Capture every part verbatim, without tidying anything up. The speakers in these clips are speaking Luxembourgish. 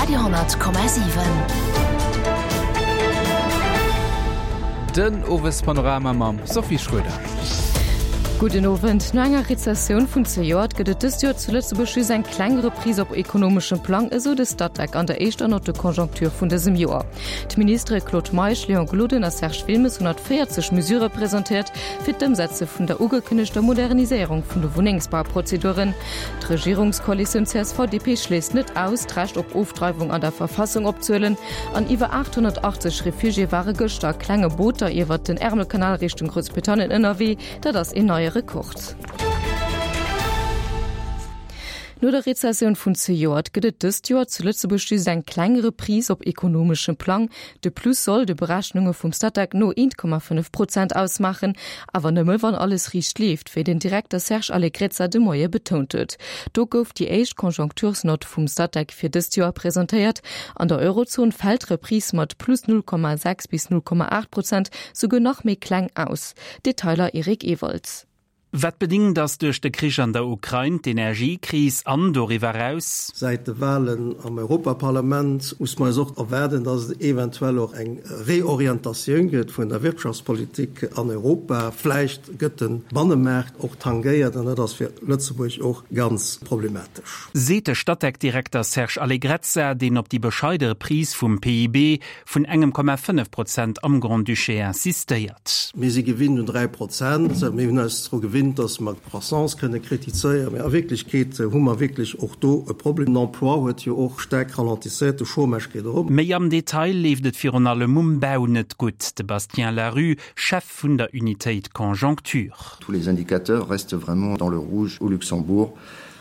Radio honnert Komma siwen. Den Owespanorama mam Sophie Schröder. Gudden Owend. No enger Rezessioun vun zejoert gëtt et dëst Joer zu Lëtzebuerg just eng kleng Reprise op ekonomeschem Plang, esou de Statec an der éischter Note de conjoncture vun dësem Joer. D'Ministere Claude Meisch, Léon Gloden a Serge Wilmes hunn haut véierzeg Mesurë presentéiert fir d'Ëmsetze vun der ugekënnegter Moderniséierung vun de Wunnengsbauprozeduren. D'Regierungskoalitioun C S V D P schléisst net aus, d'Recht op Ofdreiwung an der Verfassung opzehuelen. An iwwer aathonnertachtzeg Refugiéë ware gëschter a klenge Booter iwwert den Ärmelkanal Richtung Groussbritannien ënnerwee. Dat ass een neie Rekord. No der Rezessioun vun zejoert gëtt et dëst Joer zu Lëtzebuerg just eng kleng Reprise op ekonomeschem Plang. De Plus soll de Berechnunge vum Statec no eent Komma fënnef Prozent ausmaachen, awer nëmme wann alles riicht leeft, wéi den Direkter Serge Allegrezza de Moie betount huet. Do gouf déi éischt Conjonctursnott vum Statec fir dëst Joer presentéiert. An der Eurozon fält d'Reprise mat plus null Komma sechs bis null Komma aacht Prozent souguer nach méi kleng aus. Detailer Eric Ewald. Wat bedingt ass duerch de Krich an der Ukrain, d'Energiekris an doriwwer eraus. Säit de Walen am Europaparlament muss mer eis och erwaarden, dass et eventuell och eng Reorientatioun gëtt vun der Wirtschaftspolitik an Europa. Vläicht gëtt de Bannemaart och tangéiert an dat ass fir Lëtzebuerg och ganz problematesch. Seet de Statec-Direkter Serge Allegrezza, deen op déi bescheide Reprise vum P I B vun engem Komma fënnef Prozent am Grand-Duché insistéiert. Mir si gewinnt un dräi Prozent. Mir hunn eis dru gewinnt, dass mer d'Croissance kënne kritizéieren, mä a Wierklechkeet hu mer wierklech och do e Problem. Den Emploi huet jo och staark ralentisséiert, de Chômage geet erop. Méi am Detail leeft et virun allem um Bau net gutt. De Bastien Larue, Chef vun der Unitéit Conjoncture. Tous les indicateurs restent vraiment dans le rouge au Luxembourg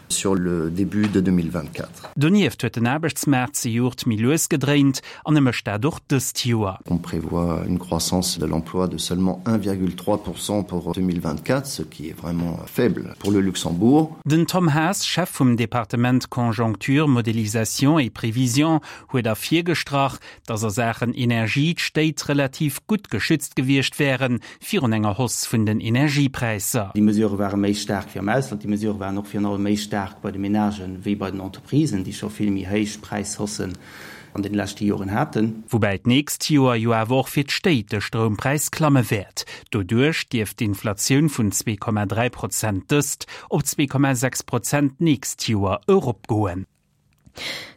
sur le début de deux mille vingt-quatre. Donieft huet den Aarbechtsmaart zejoert méi lues gedréint an e mécht dat och dëst Joer. On prévoit une croissance de l'emploi de seulement un virgule trois pour cent pour deux mille vingt-quatre, ce qui est vraiment faible pour le Luxembourg. Den Tom Haas, Chef vum Departement Conjoncture, Modélisation et Prévision, huet ervirgestrach, datt a Saachen Energie d'Stéit relativ gutt geschützt gewiescht wären virun enger Hausse vun den Energiepräisser. Déi Mesurë ware méi staark wéi am Ausland. Déi Mesurë waren och virun allem méi staark bei de Menagen wéi bei den Entreprisen, déi scho vill méi héich Präishaussen an den leschte Joren haten. Woubäi d'nächst Joer jo awer och fir d'Stéit de Stroumpräis klamme wäert. Doduerch dierft d'Inflatioun vun zwee Komma dräi Prozent dëst op zwee Komma sechs Prozent d'nächst Joer eropgoen.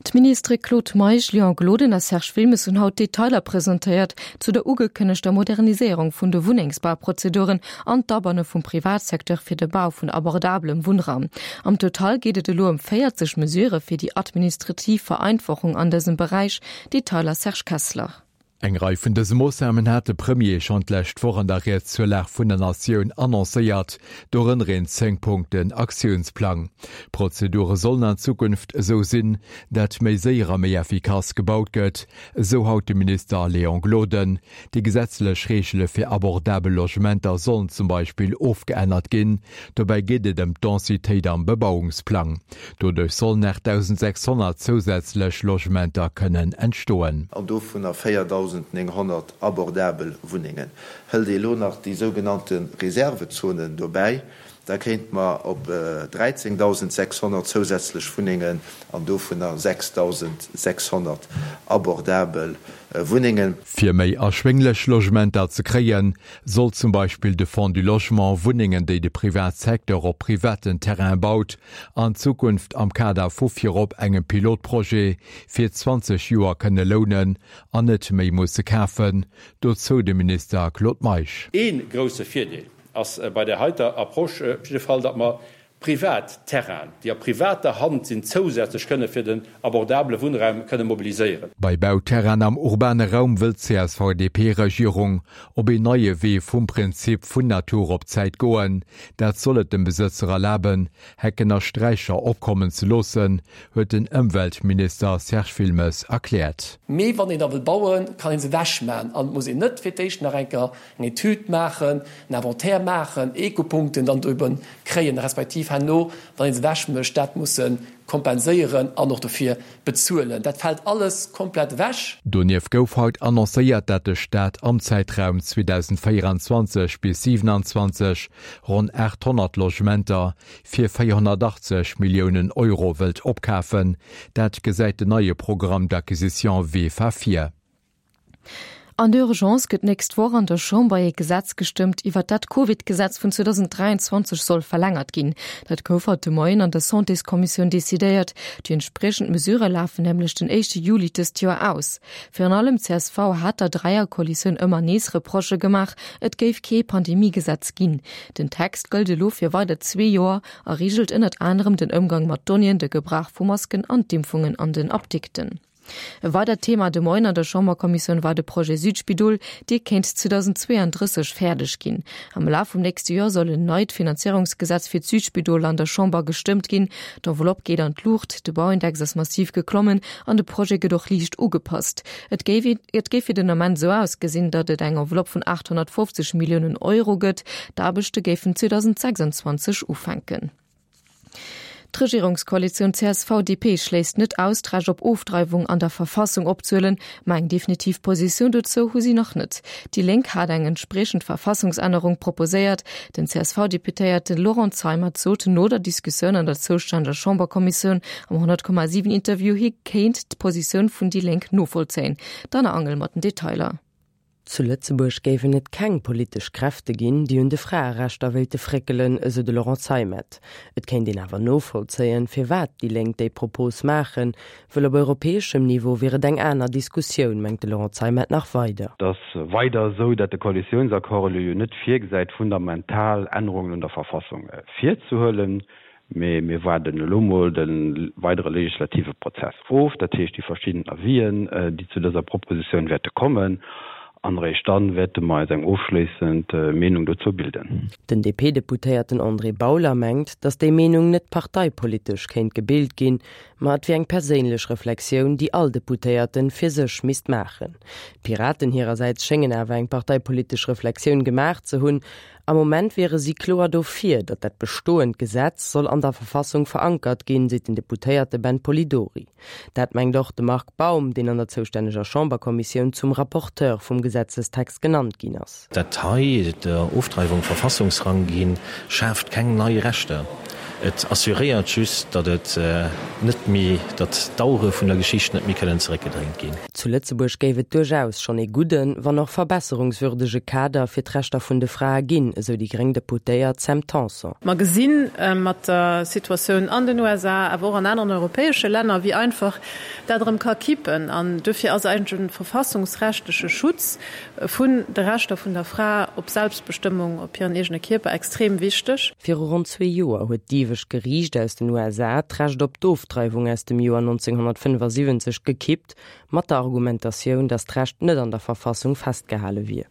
D'Ministere Claude Meisch, Léon Gloden a Serge Wilmes hunn haut Detailer presentéiert zu der ugekënnegter Moderniséierung vun de Wunnengsbauprozeduren an d'Abanne vum Privatsecteur fir de Bau vun abordabelem Wunnraum. Am Total geet et elo ëm véierzeg Mesurë fir déi administrativ Vereinfachung an dësem Beräich. Detailer Serge Kessler. Eng Rei vun dëse Moossnamen hat de Premier schonn d'lescht Woch an der Ried zur Lag vun der Natioun annoncéiert, dorënner een Zéng-Punkten-Aktiounsplang. D'Prozedure sollen an Zukunft esou sinn, dat méi séier a méi effikass gebaut gëtt, esou haut de Minister Léon Gloden. Déi gesetzlech Reegele fir abordabel Logementer sollen zum Beispill ofgeännert ginn. Dobäi geet et ëm d'Densitéit am Bebauungsplang. Doduerch sollen aachtdausendsechshonnert zousätzlech Logementer kënnen entstoen. An dovunner véierdausendnénghonnert abordabel Wunnengen. Hëlt ee elo nach déi sougenannte Reservezonen dobäi, da kéinte mer op dräizéngdausendsechshonnert zousätzlech Wunnengen an dovunner sechsdausendsechshonnert abordabel Wunnengen. Fir méi erschwénglech Logementer ze kréien, soll zum Beispill de Fonds du Logement Wunnengen, déi de Privatsecteur op privaten Terraine baut, an Zukunft am Kader vu virop engem Pilotprojet fir zwanzeg Joer kënne lounen an net méi musse kafen, dozou de Minister Claude Meisch. Ee grousse Virdeel ass bei där heiter Approche op jidde Fall, datt mer privat Terrainen, déi a privater Hand sinn, zousätzlech kënne fir den abordabele Wunnraum kënne mobiliséieren. Bei Bauterrainen am urbane Raum wëll d'C S V D P-Regierung op een neie Wee vum Prinzip vun Natur op Zäit goen. Dat soll et dem Besëtzer erlaben, Hecken a Straicher opkommen ze loossen, huet den Ëmweltminister Serge Wilmes erkläert. Mee wann een da wëll bauen, kann ee se ewechman an et muss een net fir d'éischt nach eng Kéier eng Etüd maachen, en Inventaire maachen, Ecopunkten dann drüben kréien, respektiv respektiv herno, wann ee se ewech mécht, dat musse kompenséieren an och dofir bezuelen. Dat fält alles komplett ewech. Donieft gouf haut annoncéiert, dat de Staat am Zäitraum zweedausendvéieranzwanzeg bis siwenanzwanzeg ronn aathonnert Logementer fir véierhonnertachtzeg Milliounen Euro wëllt opkafen. Dat gesäit den neie Programme d'acquisition VEFA vir. An der Urgence gëtt d'nächst Woch an der Chamber ee Gesetz gestëmmt, iwwer dat d'Covid-Gesetz vun zweedausenddräianzwanzeg soll verlängert ginn. Dat gouf haut de Moien an der Santéskommissioun decidéiert. Déi entspriechend Mesurë lafen nämlech den éischte Juli dëst Joer aus. Virun allem csv hat der Dräierkoalitioun ëmmer nees Reprochë gemaach, et géif kee Pandemiegesetz ginn. Den Text gëllt elo fir weider zwee Joer a reegelt ënnert anerem den Ëmgang mat Donnéeën, de Gebrauch vu Masken an d'Impfungen an den Apdikten. E weidert Thema de Moien an der Chamberkommissioun war de Projet Südspidol, dee kéint zweedausendzweeanddrësseg fäerdeg ginn. Am Laf vum nächste Joer soll en neit Finanzéierungsgesetz fir d'Südspidol an der Chamber gestëmmt ginn. D'Enveloppe geet an d'Luucht, de Bauindex ass massiv geklommen an de Projet gëtt och liicht ugepasst. Et géif et géif fir den Ament esou ausgesinn, datt et eng Enveloppe vun aathonnertfofzeg Milliounen Euro gëtt. D'Aarbechte géifen zweedausendsechsanzwanzeg ufänken. D'Regierungskoalitioun C S V D P schléisst net aus, d'Recht op Ofdreiwung an der Verfassung opzehuelen, ma eng definitiv Positioun dozou hu si nach net. Déi Lénk hat eng entspriechend Verfassungsännerung proposéiert. Den C S V-Deputéierte Laurent Zeimet sot no der Diskussioun an der zoustänneger Chamberkommissioun am honnert Komma siwen Interview, hie kéint d'Positioun vun déi Lénk novollzéien. D'Anna Angel mat den Detailer. Zu Lëtzebuerg géifen et keng politesch Kräfte ginn, déi un de Fraerechter wéilte fréckelen, esou de Laurent Zeimet. Et kéint een awer novollzéien, firwat déi Lénk déi Propos maachen, wëll op europäeschem Niveau wier et eng aner Diskussioun, mengt de Laurent Zeimet nach weider. Et ass weider esou, datt de Koalitiounsaccord elo jo net virgesäit, fundamental Ännerungen un der Verfassung virzehuelen. Mee mir waarden elo mol de weidere legislative Prozess of, dat heescht déi verschidden Avisen, déi zu dëser Propositioun wäerte kommen, an eréischt dann wäerte mer eis eng ofschléissend Meenung dozou bilden. Den D P-Deputéierten André Bauler mengt, datt déi Meenung net parteipolitesch kéint gebilt ginn, ma et wier eng perséinlech Reflexioun, déi all Deputéierten fir sech misst maachen. D'Piraten hirersäits schéngen awer eng parteipolitesch Reflexioun gemaach ze hunn. Am Moment wiere si kloer dofir, datt dat bestoend Gesetz soll an der Verfassung verankert ginn, seet den Deputéierte Ben Polidori. Dat mengt och de Marc Baum, deen an der zoustänneger Chamberkommissioun zum Rapporteur vum Gesetzestext genannt ginn ass. Dat hei, der Ofdreiwung Verfassungsrang ginn, schaaft keng nei Rechter. Et assuréiert just, datt et net méi, datt d'Auere vun der Geschicht net méi kënnen zeréckgedréint ginn. Zu Lëtzebuerg géif et duerchaus schonn ee gudden, wann och verbesserungswürdege Kader fir d'Rechter vun de Frae ginn, esou déi gréng Deputéiert Sam Tanson. Mer gesi mat der Situatioun an den U S A, awer och an aneren europäesche Länner, wéi einfach dat erëm ka kippen. An dofir ass eigentlech e verfassungsrechtleche Schutz vun de Rechter vun der Fra op Selbstbestëmmung, op hiren eegene Kierper extrem wichteg. Viru ronn zwee Joer huet d'Iewescht Geriicht aus den U S A d'Recht op d'Ofdreiwung aus dem Joer neunzehnhundertfünfundsiebzig gekippt, mat der Argumentatioun, datt d'Recht net an der Verfassung festgehale wier.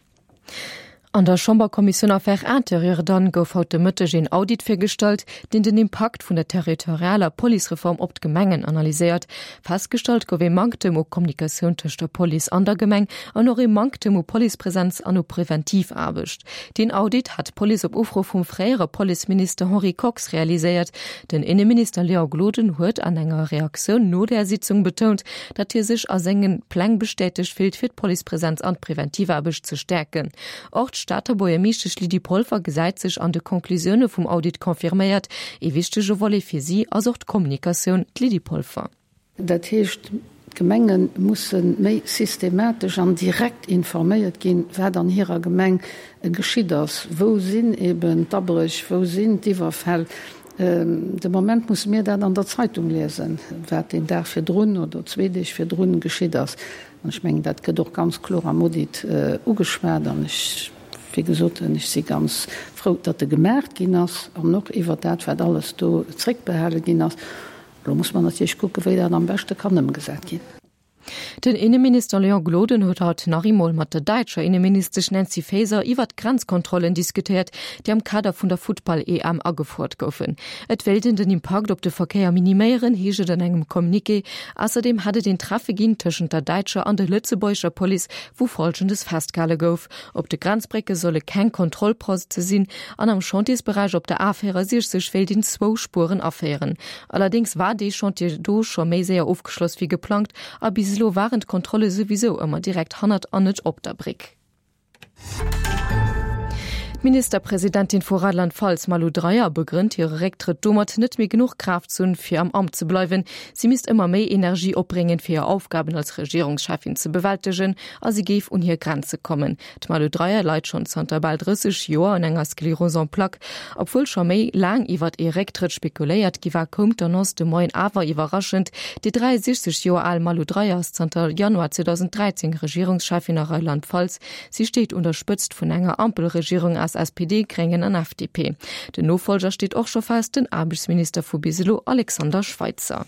An der Chamberkommissioun Affaires intérieures dann gouf haut de Mëtteg een Audit virgestallt, deen den Impakt vun der territorialer Policereform op d'Gemengen analyséiert. Festgestallt gouf ee Manktem u Kommunikatioun tëscht der Police an der Gemeng an och ee Manktem u Policepresenz an u Preventivaarbecht. Deen Audit hat d'Police op Ufro vum fréiere Policeminister Henri Kox realiséiert. Den Inneminister Léon Gloden huet an enger Reaktioun no der Sitzung betount, datt hie sech a senge Pläng bestätegt fillt, fir d'Policepresenz an d'Preventivaarbecht ze stäerken. Och d'Stater Buergermeeschtesch Lydie Polfer gesäit sech an de Conclusioune vum Audit confirméiert. Ee wichtege Volet fir si ass och d'Kommunikatioun, d'Lydie Polfer. Dat heescht, d'Gemenge musse méi systematesch an direkt informéiert ginn, wat an hirer Gemeng geschitt ass. Wou sinn eben d'Abréch, wou sinn d'Iwwerfäll? De Moment musse mir dat an der Zeitung liesen, wat den Dag virdrun oder zwee Deeg virdrun geschitt ass. An ech mengen, dat gëtt och ganz kloer am Audit ugeschwat an ech, wéi gesot, ech si ganz frou, datt e gemaach ginn ass an och iwwer dat, wat alles do zréckbehale ginn ass. Elo muss mer natierlech kucken, wéi dat am beschte kann ëmgesat ginn. Den Inneminister Léon Gloden huet haut nach eemol mat der däitscher Inneministesch Nancy Faeser iwwert d'Grenzkontrollen diskutéiert, déi am Kader vun der Futtball-EM agefouert goufen. Et wéilt een den Impakt op de Verkéier miniméieren, heescht et an engem Communiqué. Ausserdeem hätt et een Treffe ginn tëschent der däitscher an der lëtzebuergescher Police, wou Folgendes festgehale gouf, Op de Grenzbrécke solle keng Kontrollposte sinn an am Chantiersberäich op der A véierundsechzeg wéilt een zwou Spueren aféieren. Allerdéngs war dee Chantier do scho méi séier ofgeschloss wéi geplangt a bis elo waren d'Kontrolle souwisou ëmmer direkt hannert an net op der Bréck. D'Ministerpresidentin vu Rheinland-Pfalz Malu Dreyer begrënnt hire Récktrëtt domat, net méi genuch Kraaft ze hunn, fir am Amt ze bleiwen. Si misst ëmmer méi Energie opbréngen, fir hir Aufgaben als Regierungscheffin ze bewältegen a si géif un hir Grenze kommen. D'Malu Dreyer leit schonn zanter bal drësseg Joer un enger Sclérose en plaques. Obwuel scho méi laang iwwert ee Récktrëtt spekuléiert gi war, koum d'Annonce de Moien awer iwwerraschend. Déi dräiundsechzeg Joer al Malu Dreyer ass zanter Januar zweedausendräizéng Regierungscheffin a Rheinland-Pfalz. Si steet un der Spëtzt vun enger Ampelregierung aus S P D, Gréngen an F D P. Den Nofollger steet och scho fest, den Aarbechtsminister vu bis elo Alexander Schweitzer.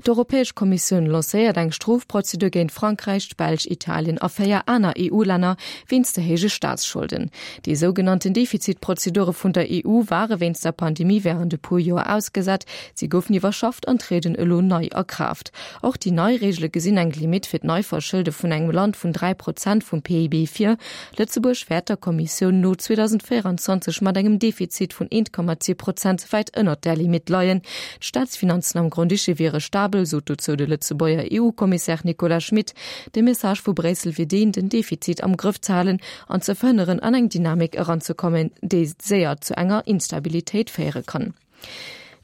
D'Europäesch Kommissioun lancéiert eng Strofprozedur géint Frankräich, d'Belsch, Italien a véier aner E U-Länner wéinst de héije Staatsscholden. Déi sougenannten Defizitprozedure vun der E U ware wéinst der Pandemie wärend e puer Joer ausgesat. Si goufen iwwerschafft an trieden elo nei a Kraaft. Och déi nei Reegele gesinn eng Limitt fir d'Neiverschëlde vun engem Land vun dräi Prozent vum P I B vir. Lëtzebuerg wäert der Kommissioun no zweedausendvéierundzwanzeg mat engem Defizit vun eent Komma zwee Prozent wäit ënnert där Limitt leien. D'Staatsfinanzen am Grand-Duché wiere stabel, sot dozou de Lëtzebuerger E U-Kommissär Nicolas Schmit. De Message vu Bréissel wier deen, den Defizit am Grëff ze halen an ze verhënneren, an eng Dynamik eranzekommen, déi séier zu enger Instabilitéit féiere kann.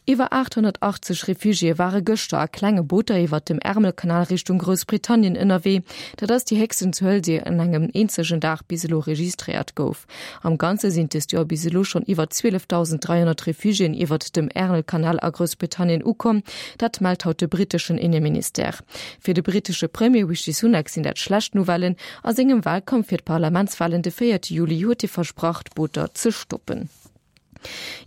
Iwwer aathonnertachtzeg Refugiéë ware gëschter a klenge Booter iwwert dem Ärmelkanal Richtung Groussbritannien ënnerwee. Dat ass déi héchsten Zuel, déi an engem eenzegen Dag bis elo registréiert gouf. Am Ganze sinn dëst Joer bis elo schonn iwwer zwielefdausend dräihonnert Refugiéen iwwert dem Ärmelkanal a Groussbritannien ukomm. Dat mellt haut de britteschen Inneministère. Fir de brittesche Premier Rishi Sunak sinn dat schlecht Nouvellen. A sengem Walkampf fir d'Parlamentswalen de véierte Juli huet hie versprach, d'Booter ze stoppen.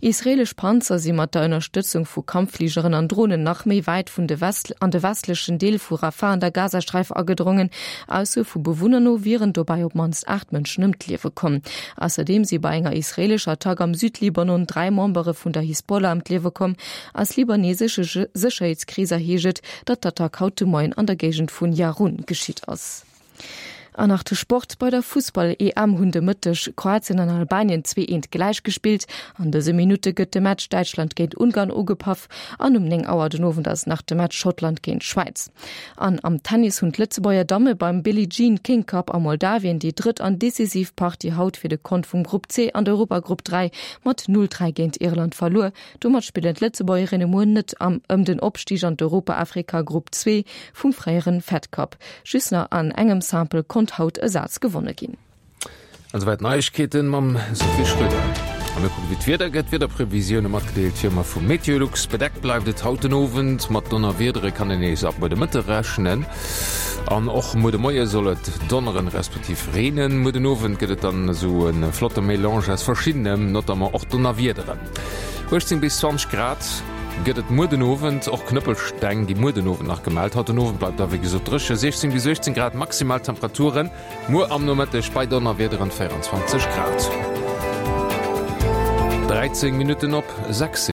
Israelesch Panzer si mat der Ënnerstëtzung vu Kampffligeren an Dronen nach méi wäit vun de West an de westlechen Deel vu Rafah an der Gazasträif agedrongen. Aussoe vu Bewunner no wieren dobäi op d'mannst aacht Mënschen ëm d'Liewe komm. Ausserdeem si bei enger israelescher Attack am Südlibanon dräi Membere vun der Hisbollah ëm d'Liewe komm. Aus libanesesche Sécherheetskreeser heescht et, datt d'Attack haut de Moien an der Géigend vun Yaroun geschitt ass. An nach de Sport, Bei der Fussball-E M hunn de Mëtteg Kroatien an Albanien zwee eent gläich gespillt. An dëse Minutte gëtt de Match Däitschland géint Ungarn ugepaff an um néng Auer den Owend ass nach de Match Schottland géint Schwäiz. An am Tennis hunn d'Lëtzebuerger Damme beim Billie Jean King Cup a Moldawien déi drëtt an decisiv Partie haut fir de Kont vum Grupp C an der Europagrupp dräi mat null dräi géint Irland verluer. Domat spillen d'Lëtzebuergerinne muer net am ëm den Opstig an d'Europa-Afrika-Grupp zwee vum fréieren Fed Cup. Just nach an engem Simple konnt haut e Saz gewonne ginn. An esouwäit d'Neiegkeeten mam Sophie Schröder. A mir kucken, wéi d'Wieder gëtt. D'Wiederprevisioune matgedeelt wéi ëmmer vu Meteolux. Bedeckt bleift et haut den Owend, mat Donnerwiedere kann een nees ab muer de Mëtte rechnen. An och muer de Moie soll et donneren, respektiv reenen. Muer den Owend gëtt et dann esou e flotte Melange aus verschiddenem, notamment och Donnerwiederen. uechtzéng bis zwanzeg Grad gëtt et muer den Owend, och Knëppelsteng gi muer den Owend nach gemellt. Haut den Owend bleift da wéi gesot dréche, siechzéng bis uechtzéng Grad maximal Temperaturen, muer am Nomëtteg bei Donnerwiederen véierundzwanzeg Grad. dräizéng Minutten op sechs.